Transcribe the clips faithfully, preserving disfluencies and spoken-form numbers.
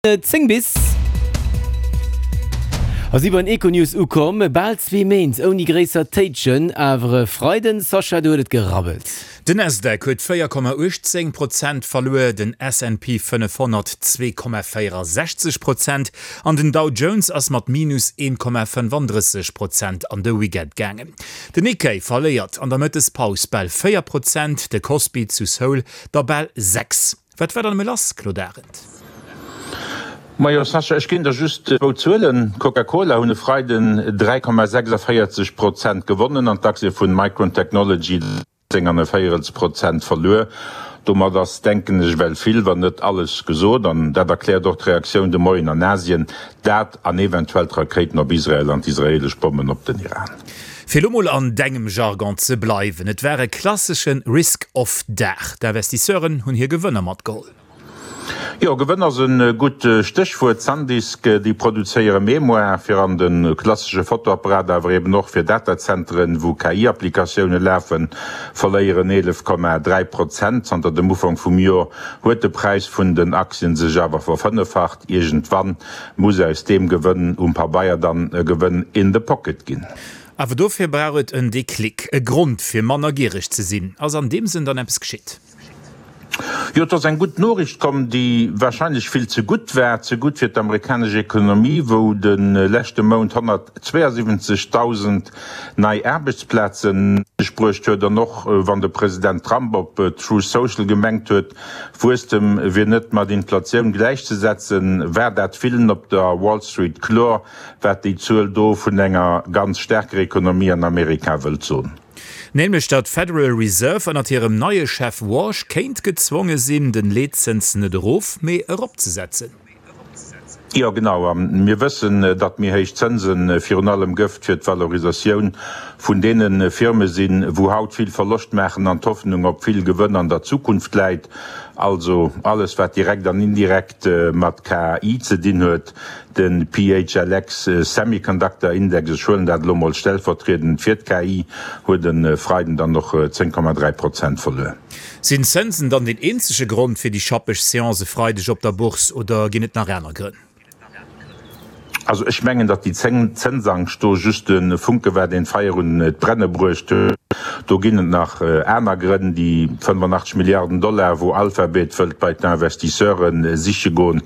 Zéng bis a si beim Econews ukomm. Bal zwee Méint ouni gréisser Téitschen, awer e Freiden, Sascha, do huet et gerabbelt. Den Nasdaq huet véier Komma uechtzéng Prozent verluer, den S and P fënnefhonnert zwee Komma véierasechzeg Prozent an den Dow Jones ass mat minus een Komma fënnfandrësseg Prozent an de Weekend gaangen. Den Nikkei verléiert an der Mëttespaus bal véier Prozent, de Kospi zu Seoul der bal sechs. Wat war dann nëmme lass, Claude Arend? Majo Sascha, ech ginn der just zwou Zuelen, Coca-Cola hunn e Freiden dräi Komma sechsundvéierzeg Prozent gewonnen an d'Aktie vun Micron Technology zéng an e Véierels Prozent verluer. Domat ass, denken ech, well vill, wann net alles gesot. An dat erkläert och d'Reaktioun de Moien an Asien, dat an eventuell d'Rakéiten op Israel an d'israeelesch Bommen op den Iran. Fir elo mol an dengem Jargon ze bleiwen, et war e klassesche Risk-Off-Dag. D'Investisseuren hunn hir Gewënner matgeholl. Jo, Gewënn ass e gutt Stéchwuert. Sandisk, déi produzéiere Mémoire fir an de klassesche Fotoapparat, awer eben och fir Datazenteren, wou K I-Applikatioune lafen, verléieren eelef Komma dräi Prozent. Zanter dem Ufank vum Joer huet de Präis vun den Aktien sech awer verfënneffacht. Iergendwann muss aus deem Gewënn um Pabeier dann e Gewënn in the pocket ginn. Awer dofir brauch et en Déclic, e Grond fir manner giereg ze sinn. Ass an deem Sënn dann eppes geschitt? Jo, et ass eng gutt Noriicht komm, déi warscheinlech vill ze gutt war, ze gutt fir d'amerikanesch Ekonomie, wou de leschte Mount honnertzweeasiwwenzegdausend nei Aarbechtsplaze sech bruecht huet. An och wann de President Trump op Truth Social gemengt huet, Wuesstem wier net mat Inflatioun gläichzesetzen, war dat villen op der Wall Street kloer, wat déi Zuel do vun enger ganz staarker Ekonomie an Amerika wëllt soen. Nämlech datt d'Federal Reserve ënnert hirem neie Chef Warsh kéint gezwonge sinn, den Leetzëns net erof, mee eropzesetzen. Jo, genau. A mir wëssen, datt méi héich Zënse virun allem Gëft fir d'Valorisatioun vun deene Firme sinn, wou haut vill Verloscht maachen an d'Hoffnung op vill Gewënn an der Zukunft läit. Also alles, wat direkt an indirekt mat K I ze dinn huet. De P H L X Semiconductor Index, ech huelen dat elo mol stellvertriedend fir d'K I, huet e Freiden dann och zéng Komma dräi Prozent verluer. Sinn d'Zënsen dann deen eenzege Grond fir déi schappeg Seance e Freideg op der Bourse oder ginn et nach aner Grënn? Also ech mengen, datt déi Zënsangscht do just de Funke war, deen d'Feier un d'Brenne bruecht huet. Do ginn et nach aner Grënn, déi fënnefenachtzeg Milliarden Dollar, wou Alphabet wëllt bei d'Investisseure siche goen,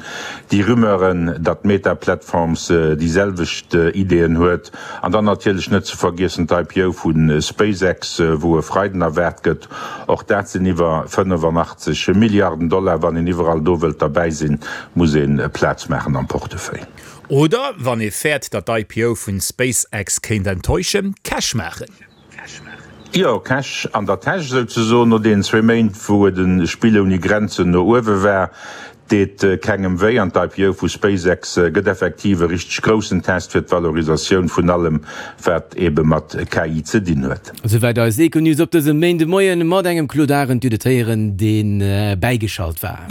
déi Rumeuren, datt Meta Platforms déi selwecht Ideeën huet, an dann natierlech net ze vergiessen d'I P O vu SpaceX, wou e Freiden erwaart gëtt. Och dat sinn iwwer fënnefenachtzeg Milliarden Dollar. Wann een iwwerall do wëllt derbäi sinn, muss een Plaz maachen am Portefeuille. Oder, wann ee fäert, datt d'I P O vun SpaceX kéint enttäuschen, Cash maachen. Jo, Cash an der Täsch souzesoen. No deenen zwee Méint, wou et e Spill ouni Grenzen no uewe war, deet kengem wéi. An d'I P O vu SpaceX gëtt effektiv e richteg groussen Test fir d'Valorisatioun vun allem, wat ebe mat K I ze dinn huet. Souwäit eis Econews op dësem Méindemoien mat engem Claude Arend, Dir hutt et héieren, deen bäigeschalt war.